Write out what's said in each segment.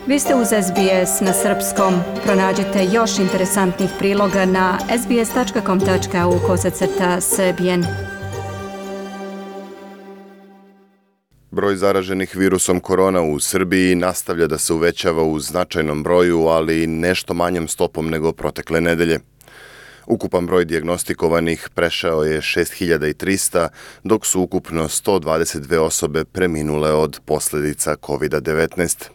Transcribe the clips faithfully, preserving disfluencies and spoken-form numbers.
Vi ste uz S B S na srpskom. Pronađite još interesantnih priloga na sbs tačka com tačka au kosacrta srbijen. Broj zaraženih virusom korona u Srbiji nastavlja da se uvećava u značajnom broju, ali nešto manjom stopom nego protekle nedelje. Ukupan broj dijagnostikovanih prešao je šest hiljada trista, dok su ukupno sto dvadeset dve osobe preminule od posljedica kovid devetnaest.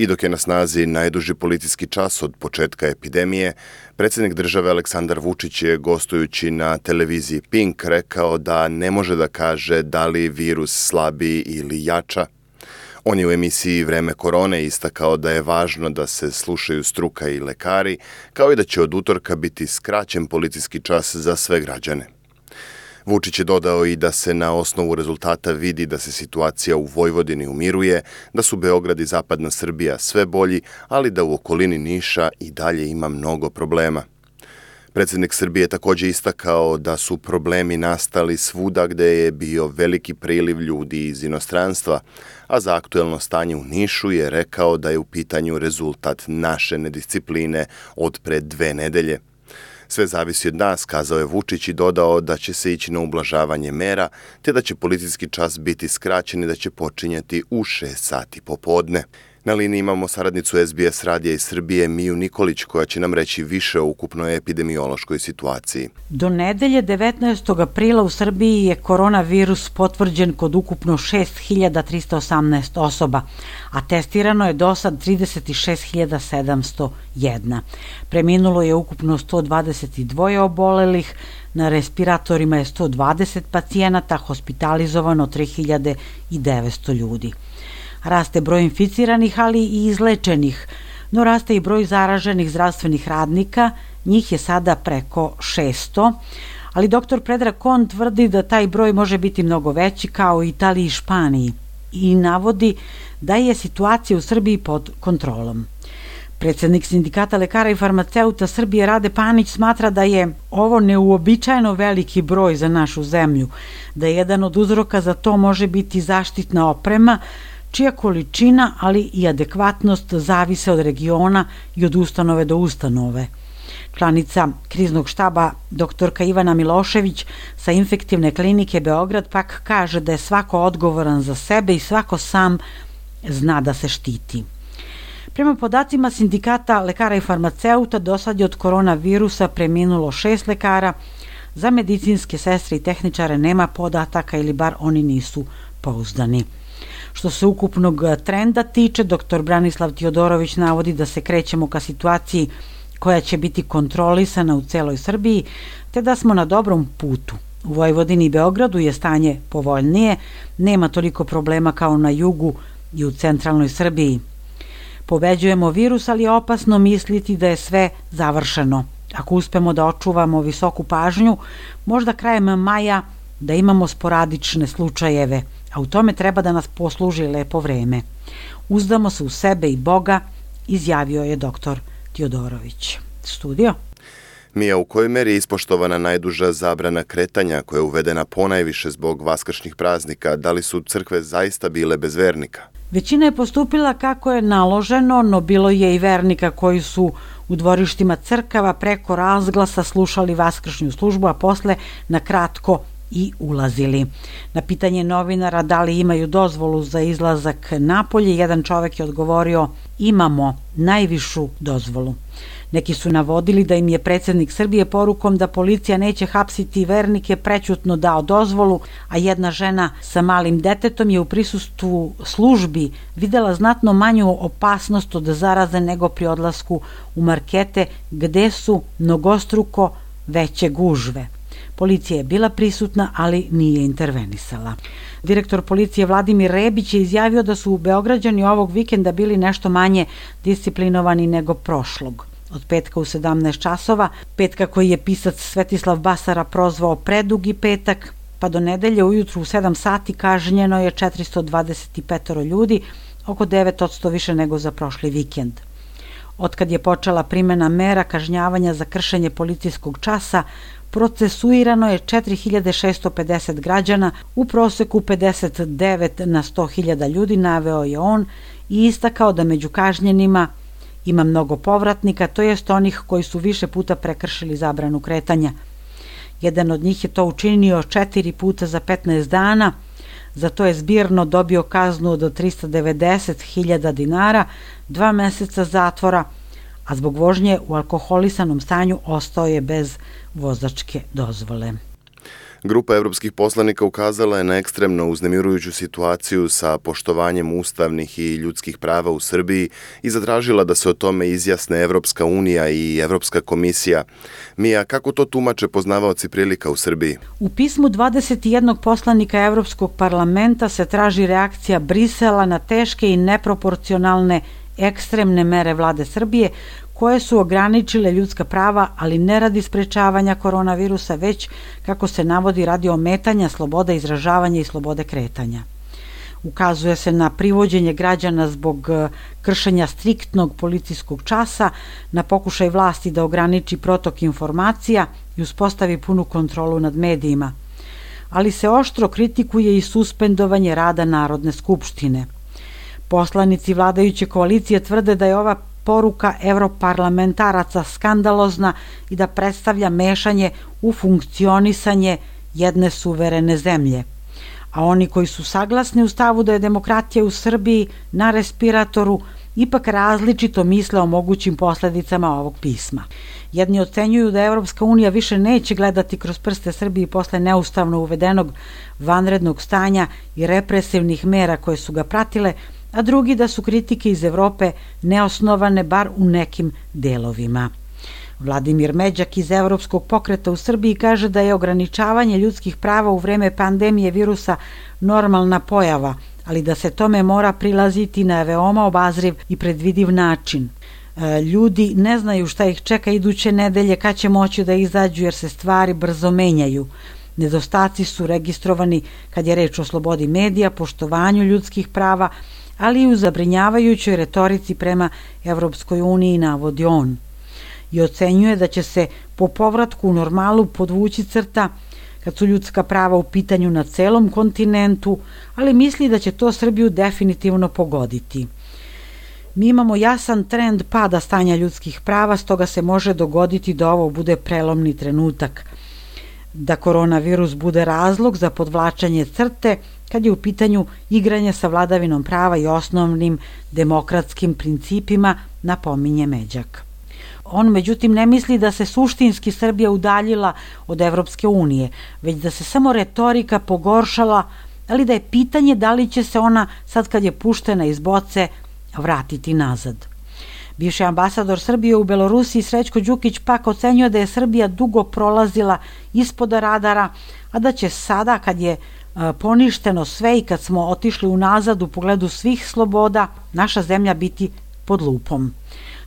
I dok je na snazi najduži policijski čas od početka epidemije, predsjednik države Aleksandar Vučić je gostujući na televiziji Pink rekao da ne može da kaže da li virus slabi ili jača. On je u emisiji Vreme korone istakao da je važno da se slušaju struka i lekari, kao i da će od utorka biti skraćen policijski čas za sve građane. Vučić je dodao i da se na osnovu rezultata vidi da se situacija u Vojvodini umiruje, da su Beograd i zapadna Srbija sve bolji, ali da u okolini Niša i dalje ima mnogo problema. Predsjednik Srbije također istakao da su problemi nastali svuda gde je bio veliki priliv ljudi iz inostranstva, a za aktuelno stanje u Nišu je rekao da je u pitanju rezultat naše nediscipline od pre dve nedelje. Sve zavisi od nas, kazao je Vučić i dodao da će se ići na ublažavanje mera, te da će policijski čas biti skraćen i da će počinjati u šest sati popodne. Na liniji imamo saradnicu S B S radija iz Srbije Miju Nikolić koja će nam reći više o ukupnoj epidemiološkoj situaciji. Do nedelje devetnaestog aprila u Srbiji je koronavirus potvrđen kod ukupno šest hiljada trista osamnaest osoba, a testirano je do sad trideset šest hiljada sedamsto jedna. Preminulo je ukupno sto dvadeset dva obolelih, na respiratorima je sto dvadeset pacijenata, hospitalizovano tri hiljade devetsto ljudi. Raste broj inficiranih, ali i izlečenih, no raste i broj zaraženih zdravstvenih radnika, njih je sada preko šesto, ali doktor Predrag Kon tvrdi da taj broj može biti mnogo veći kao u Italiji i Španiji i navodi da je situacija u Srbiji pod kontrolom. Predsjednik Sindikata lekara i farmaceuta Srbije Rade Panić smatra da je ovo neuobičajeno veliki broj za našu zemlju, da jedan od uzroka za to može biti zaštitna oprema, čija količina, ali i adekvatnost zavise od regiona i od ustanove do ustanove. Članica kriznog štaba doktorka Ivana Milošević sa Infektivne klinike Beograd pak kaže da je svako odgovoran za sebe i svako sam zna da se štiti. Prema podacima Sindikata lekara i farmaceuta, do sad je od koronavirusa preminulo šest lekara, za medicinske sestre i tehničare nema podataka ili bar oni nisu pouzdani. Što se ukupnog trenda tiče, doktor Branislav Tiodorović navodi da se krećemo ka situaciji koja će biti kontrolisana u celoj Srbiji, te da smo na dobrom putu. U Vojvodini i Beogradu je stanje povoljnije, nema toliko problema kao na jugu i u centralnoj Srbiji. Pobeđujemo virus, ali je opasno misliti da je sve završeno. Ako uspemo da očuvamo visoku pažnju, možda krajem maja da imamo sporadične slučajeve, a u tome treba da nas posluži lepo vreme. Uzdamo se u sebe i Boga, izjavio je doktor Tiodorović. Studio. Mija, u kojoj meri je ispoštovana najduža zabrana kretanja koja je uvedena ponajviše zbog vaskršnjih praznika? Da li su crkve zaista bile bez vernika? Većina je postupila kako je naloženo, no bilo je i vernika koji su u dvorištima crkava preko razglasa slušali vaskršnju službu, a posle na kratko i ulazili. Na pitanje novinara da li imaju dozvolu za izlazak napolje, jedan čovek je odgovorio: imamo najvišu dozvolu. Neki su navodili da im je predsjednik Srbije porukom da policija neće hapsiti vernike prećutno dao dozvolu, a jedna žena sa malim detetom je u prisustvu službi videla znatno manju opasnost od zaraze nego pri odlasku u markete gde su mnogostruko veće gužve. Policija je bila prisutna, ali nije intervenisala. Direktor policije Vladimir Rebić je izjavio da su Beograđani ovog vikenda bili nešto manje disciplinovani nego prošlog. Od petka u sedamnaest časova, petka koji je pisac Svetislav Basara prozvao predugi petak, pa do nedelje ujutru u sedam sati kažnjeno je četiristo dvadeset pet ljudi, oko devet posto više nego za prošli vikend. Otkad je počela primjena mera kažnjavanja za kršenje policijskog časa, procesuirano je četiri hiljade šessto pedeset građana, u proseku pedeset devet na sto hiljada ljudi, naveo je on i istakao da među kažnjenima ima mnogo povratnika, to jest onih koji su više puta prekršili zabranu kretanja. Jedan od njih je to učinio četiri puta za petnaest dana, za to je zbirno dobio kaznu od trista devedeset hiljada dinara, dva meseca zatvora, a zbog vožnje u alkoholisanom stanju ostao je bez vozačke dozvole. Grupa evropskih poslanika ukazala je na ekstremno uznemirujuću situaciju sa poštovanjem ustavnih i ljudskih prava u Srbiji i zatražila da se o tome izjasne Evropska unija i Evropska komisija. Mija, kako to tumače poznavaoci prilika u Srbiji? U pismu dvadeset jednog poslanika Evropskog parlamenta se traži reakcija Brisela na teške i neproporcionalne ekstremne mere vlade Srbije koje su ograničile ljudska prava, ali ne radi sprečavanja koronavirusa, već, kako se navodi, radi ometanja slobode izražavanja i slobode kretanja. Ukazuje se na privođenje građana zbog kršenja striktnog policijskog časa, na pokušaj vlasti da ograniči protok informacija i uspostavi punu kontrolu nad medijima. Ali se oštro kritikuje i suspendovanje rada Narodne skupštine. Poslanici vladajuće koalicije tvrde da je ova poruka evroparlamentaraca skandalozna i da predstavlja mešanje u funkcionisanje jedne suverene zemlje. A oni koji su saglasni u stavu da je demokratija u Srbiji na respiratoru ipak različito misle o mogućim posledicama ovog pisma. Jedni ocenjuju da Evropska unija više neće gledati kroz prste Srbiji posle neustavno uvedenog vanrednog stanja i represivnih mera koje su ga pratile, a drugi da su kritike iz Evrope neosnovane bar u nekim delovima. Vladimir Međak iz Evropskog pokreta u Srbiji kaže da je ograničavanje ljudskih prava u vreme pandemije virusa normalna pojava, ali da se tome mora prilaziti na veoma obazriv i predvidiv način. Ljudi ne znaju šta ih čeka iduće nedelje, kad će moći da izađu jer se stvari brzo menjaju. Nedostaci su registrovani kad je reč o slobodi medija, poštovanju ljudskih prava, ali i u zabrinjavajućoj retorici prema Evropskoj uniji, navodi on. I ocenjuje da će se po povratku u normalu podvući crta kad su ljudska prava u pitanju na celom kontinentu, ali misli da će to Srbiju definitivno pogoditi. Mi imamo jasan trend pada stanja ljudskih prava, stoga se može dogoditi da ovo bude prelomni trenutak, da koronavirus bude razlog za podvlačenje crte kad je u pitanju igranje sa vladavinom prava i osnovnim demokratskim principima, napominje Međak. On međutim ne misli da se suštinski Srbija udaljila od Evropske unije, već da se samo retorika pogoršala, ali da je pitanje da li će se ona, sad kad je puštena iz boce, vratiti nazad. Bivši ambasador Srbije u Belorusiji Srećko Đukić pak ocenjuje da je Srbija dugo prolazila ispod radara, a da će sada, kad je poništeno sve i kad smo otišli unazad u pogledu svih sloboda, naša zemlja biti pod lupom.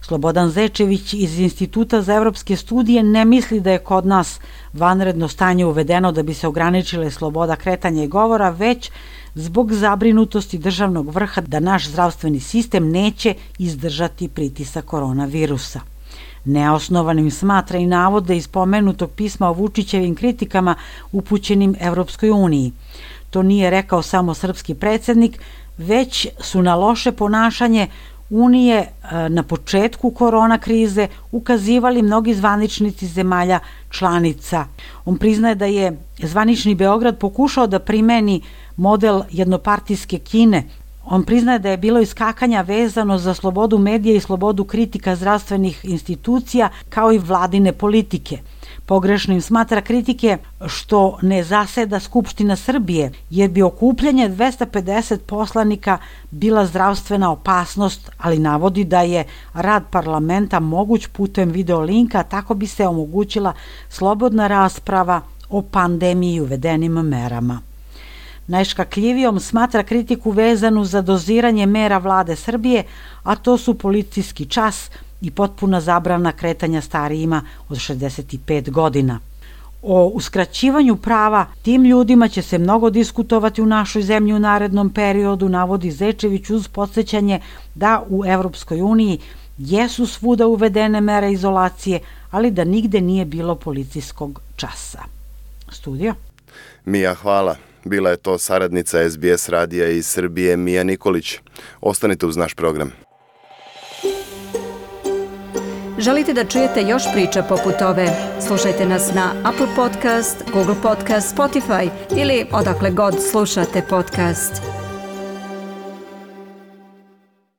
Slobodan Zečević iz Instituta za evropske studije ne misli da je kod nas vanredno stanje uvedeno da bi se ograničile sloboda kretanja i govora, već zbog zabrinutosti državnog vrha da naš zdravstveni sistem neće izdržati pritisak koronavirusa. Neosnovanim smatra i navode iz pomenutog pisma o Vučićevim kritikama upućenim Evropskoj uniji. To nije rekao samo srpski predsednik, već su na loše ponašanje Unije na početku korona krize ukazivali mnogi zvaničnici zemalja članica. On priznaje da je zvanični Beograd pokušao da primeni model jednopartijske Kine. On priznaje da je bilo iskakanja vezano za slobodu medija i slobodu kritika zdravstvenih institucija kao i vladine politike. Pogrešnim smatra kritike što ne zaseda Skupština Srbije, jer bi okupljanje dvesta pedeset poslanika bila zdravstvena opasnost, ali navodi da je rad parlamenta moguć putem videolinka, tako bi se omogućila slobodna rasprava o pandemiji i uvedenim merama. Najškakljivijom smatra kritiku vezanu za doziranje mera vlade Srbije, a to su policijski čas i potpuna zabrana kretanja starijima od šezdeset pet godina. O uskraćivanju prava tim ljudima će se mnogo diskutovati u našoj zemlji u narednom periodu, navodi Zečević uz podsjećanje da u Evropskoj uniji jesu svuda uvedene mere izolacije, ali da nigde nije bilo policijskog časa. Studio? Mija, hvala. Bila je to saradnica S B S radija iz Srbije Mija Nikolić. Ostanite uz naš program. Želite da čujete još priča poput ove? Slušajte nas na Apple Podcast, Google Podcast, Spotify ili odakle god slušate podcast.